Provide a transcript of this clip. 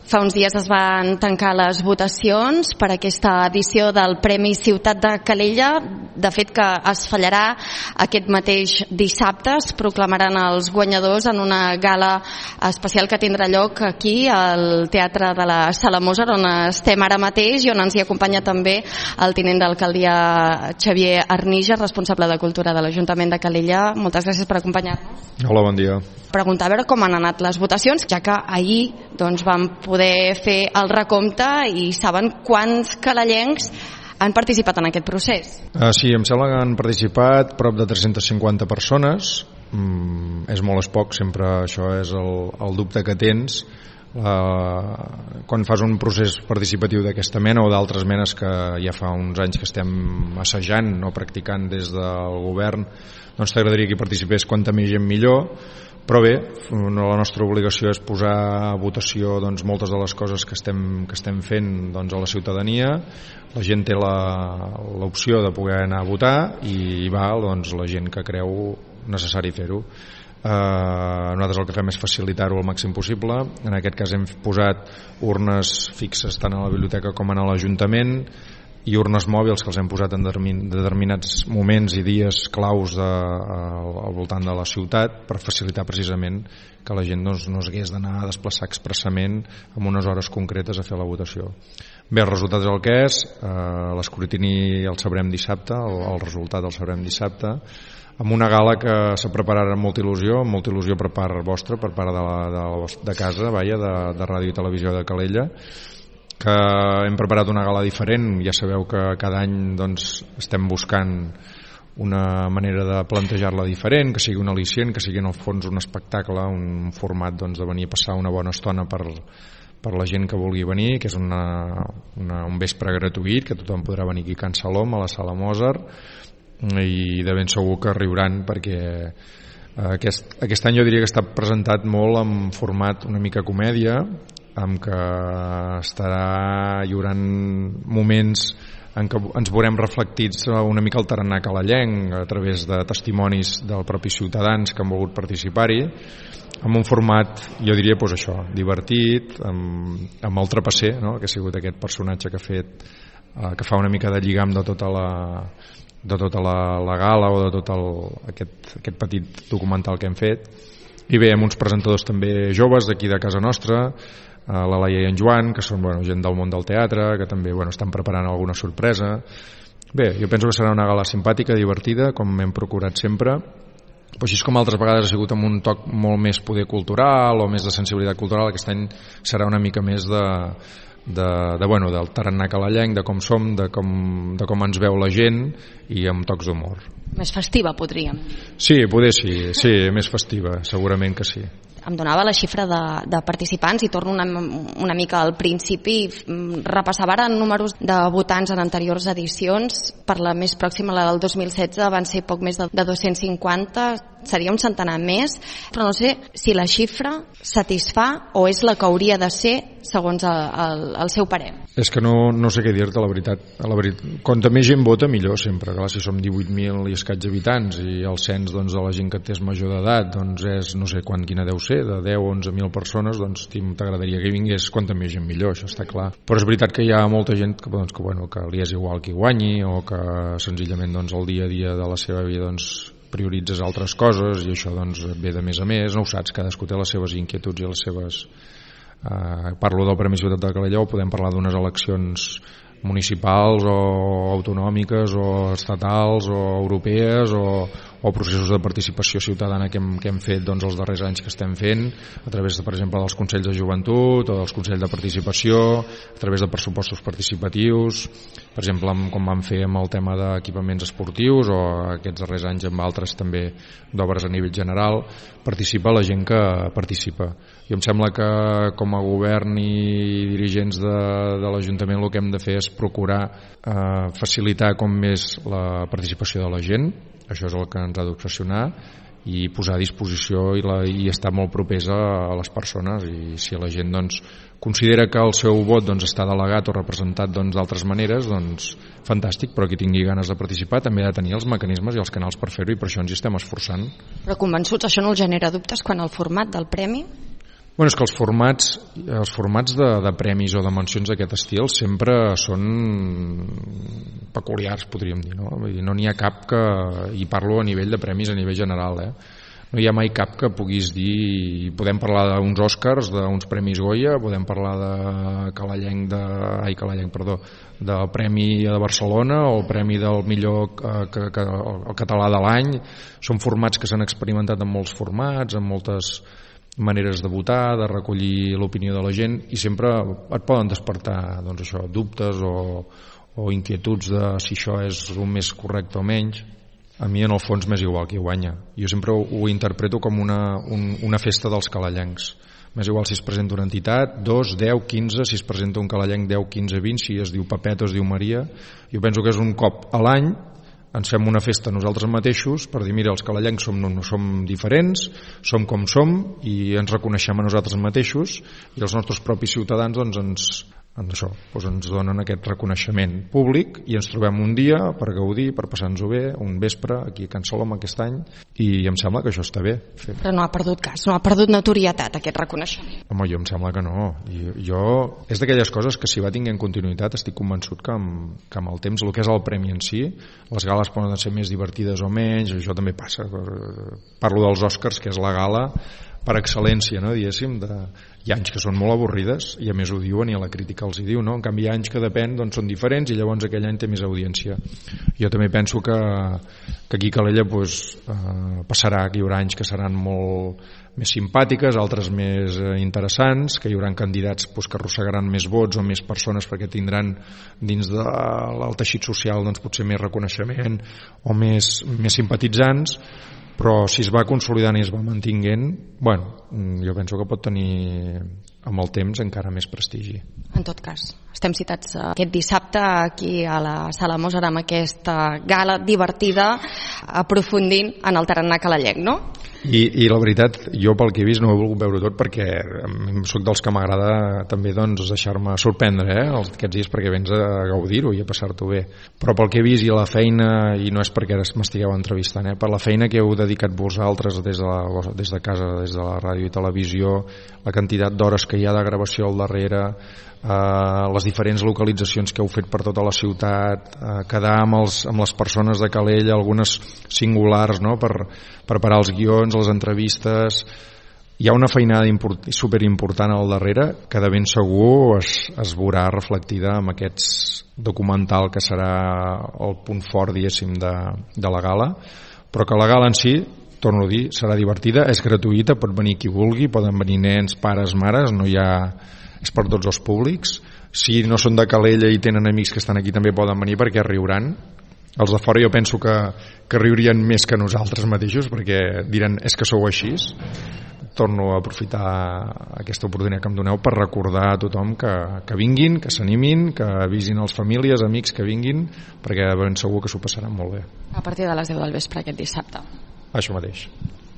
Fa uns dies es van tancar les votacions per aquesta edició del Premi Ciutat de Calella. De fet, que es fallarà aquest mateix dissabte. Es proclamaran els guanyadors en una gala especial que tindrà lloc aquí, al Teatre de la Sala Mozart, on estem ara mateix i on ens hi acompanya també el tinent d'alcaldia Xavier Arnija, responsable de Cultura de l'Ajuntament de Calella. Moltes gràcies per acompanyar-nos. Hola, bon dia. Preguntar a veure com han anat les votacions, ja que ahir vam poder fer el recompte i saben quants calellencs han participat en aquest procés. Sí, em sembla que han participat prop de 350 persones. És molt, és poc, sempre això és el dubte que tens quan fas un procés participatiu d'aquesta mena o d'altres menes que ja fa uns anys que estem assajant o practicant des del govern. Doncs t'agradaria que hi participés quanta més gent millor, però bé, la nostra obligació és posar a votació moltes de les coses que estem fent a la ciutadania. La gent té l'opció de poder anar a votar i va la gent que creu necessari fer-ho. Nosaltres el que fem és facilitar-ho al màxim possible. En aquest cas hem posat urnes fixes tant a la biblioteca com a l'Ajuntament i urnes mòbils que els hem posat en determinats moments i dies claus al voltant de la ciutat per facilitar precisament que la gent no s'hagués d'anar a desplaçar expressament en unes hores concretes a fer la votació. Bé, el resultat és el que és. L'escrutini el sabrem dissabte, el resultat el sabrem dissabte, amb una gala que s'ha preparat amb molta il·lusió per part vostra, per part de casa, de Ràdio i Televisió de Calella, que hem preparat una gala diferent. Ja sabeu que cada any estem buscant una manera de plantejar-la diferent, que sigui un al·licient, que sigui en el fons un espectacle, un format de venir a passar una bona estona per la gent que vulgui venir, que és un vespre gratuït, que tothom podrà venir aquí a Can Salom, a la Sala Mozart, i de ben segur que riuran, perquè aquest any jo diria que està presentat molt en format una mica comèdia, amb que hi haurà moments en què ens veurem reflectits una mica el tarannà calellenc a través de testimonis dels propis ciutadans que han volgut participar-hi, amb un format, jo diria, això, divertit, amb el trapasser, no? Que ha sigut aquest personatge que fa una mica de lligam de tota la gala o de tot aquest petit documental que hem fet. I bé, amb uns presentadors també joves d'aquí de casa nostra, la Laia i en Joan, que són gent del món del teatre, que també estan preparant alguna sorpresa. Bé, jo penso que serà una gala simpàtica, divertida, com hem procurat sempre, però així com altres vegades ha sigut amb un toc molt més poder cultural o més de sensibilitat cultural, aquest any serà una mica més del tarannà calellenc, de com som, de com ens veu la gent i amb tocs d'humor. Més festiva, podríem. Sí, poder sí, més festiva, segurament que sí. Em donava la xifra de participants i torno una mica al principi. Repassava ara números de votants en anteriors edicions. Per la més pròxima, la del 2016, van ser poc més de 250, seria un centenar més, però no sé si la xifra satisfà o és la que hauria de ser segons el seu parer. És que no sé què dir-te, la veritat. Quanta més gent vota, millor sempre. Clar, si som 18.000 i escaig habitants i el cens de la gent que té és major d'edat és no sé quina deu ser, de 10 o 11.000 persones, t'agradaria que hi vingués quanta més gent millor, això està clar. Però és veritat que hi ha molta gent que li és igual qui guanyi o que senzillament el dia a dia de la seva vida prioritzes altres coses i això ve de més a més, no ho saps, cadascú té les seves inquietuds i les seves... Parlo del Premi Ciutat de Calella, o podem parlar d'unes eleccions municipals o autonòmiques o estatals o europees o processos de participació ciutadana que hem fet els darrers anys que estem fent a través, per exemple, dels Consells de Joventut o dels Consells de Participació, a través de pressupostos participatius, per exemple, com vam fer amb el tema d'equipaments esportius o aquests darrers anys amb altres també d'obres a nivell general. Participa la gent que participa. I em sembla que com a govern i dirigents de l'Ajuntament el que hem de fer és procurar facilitar com més la participació de la gent. Això és el que ens ha d'obsessionar, i posar a disposició i estar molt propers a les persones. I si la gent considera que el seu vot està delegat o representat d'altres maneres, fantàstic, però qui tingui ganes de participar també ha de tenir els mecanismes i els canals per fer-ho, i per això ens hi estem esforçant. Però convençuts, això no els genera dubtes quan el format del premi? Bueno, és que els formats de premis o de mencions d'aquest estil sempre són peculiars, podríem dir, no? Vull dir, no n'hi ha cap que, i parlo a nivell de premis a nivell general, no hi ha mai cap que puguis dir, podem parlar d'uns Oscars, d'uns Premis Goya, podem parlar del Premi de Barcelona o el Premi del millor el català de l'any. Són formats que s'han experimentat en molts formats, en moltes maneres de votar, de recollir l'opinió de la gent, i sempre et poden despertar dubtes o inquietuds de si això és el més correcte o menys. A mi en el fons m'és igual qui guanya. Jo sempre ho interpreto com una festa dels calellencs. M'és igual si es presenta una entitat, 2, 10, 15, si es presenta un calellenc 10, 15, 20, si es diu Pepet o es diu Maria. Jo penso que és un cop a l'any, ens fem una festa nosaltres mateixos per dir, mira, els calellencs som diferents, som com som i ens reconeixem a nosaltres mateixos, i els nostres propis ciutadans ens donen aquest reconeixement públic i ens trobem un dia per gaudir, per passar-nos-ho bé, un vespre aquí a Can Salom aquest any, i em sembla que això està bé. Però no ha perdut cas, no ha perdut notorietat aquest reconeixement. Home, jo em sembla que no. És d'aquelles coses que si va tinguent continuïtat estic convençut que amb el temps, el que és el premi en si, les gales poden ser més divertides o menys, això també passa. Parlo dels Oscars, que és la gala per excel·lència, no, diguéssim, hi ha anys que són molt avorrides i a més ho diuen i a la crítica els hi diu, no? En canvi hi ha anys que depèn, doncs són diferents i llavors aquell any té més audiència. Jo també penso que aquí a Calella passarà, que hi haurà anys que seran molt més simpàtiques, altres més interessants, que hi haurà candidats que arrossegaran més vots o més persones perquè tindran dins del teixit social potser més reconeixement o més simpatitzants, però si es va consolidant i es va mantinguent, jo penso que pot tenir amb el temps encara més prestigi. En tot cas, estem citats aquest dissabte aquí a la Sala Mozart amb aquesta gala divertida, aprofundint en el tarannà calellenc, no? I la veritat, jo pel que he vist no he volgut veure tot perquè soc dels que m'agrada també deixar-me sorprendre aquests dies, perquè vens a gaudir-ho i a passar-t'ho bé, però pel que he vist i la feina, i no és perquè ara m'estigueu entrevistant, per la feina que heu dedicat vosaltres des de casa, des de la ràdio i televisió, la quantitat d'hores que hi ha de gravació al darrere, les diferents localitzacions que heu fet per tota la ciutat, quedar amb les persones de Calella, algunes singulars, no? Per preparar els guions, les entrevistes. Hi ha una feinada superimportant al darrere que de ben segur es veurà reflectida en aquest documental que serà el punt fort, diguéssim, de la gala, però que la gala en si, torno a dir, serà divertida, és gratuïta, pot venir qui vulgui, poden venir nens, pares, mares, és per tots els públics. Si no són de Calella i tenen amics que estan aquí també poden venir perquè riuran. Els de fora jo penso que riurien més que nosaltres mateixos perquè diran, és que sou així. Torno a aprofitar aquesta oportunitat que em doneu per recordar a tothom que vinguin, que s'animin, que avisin els famílies, amics que vinguin, perquè ben segur que s'ho passaran molt bé. A partir de les 10 del vespre aquest dissabte. Això mateix.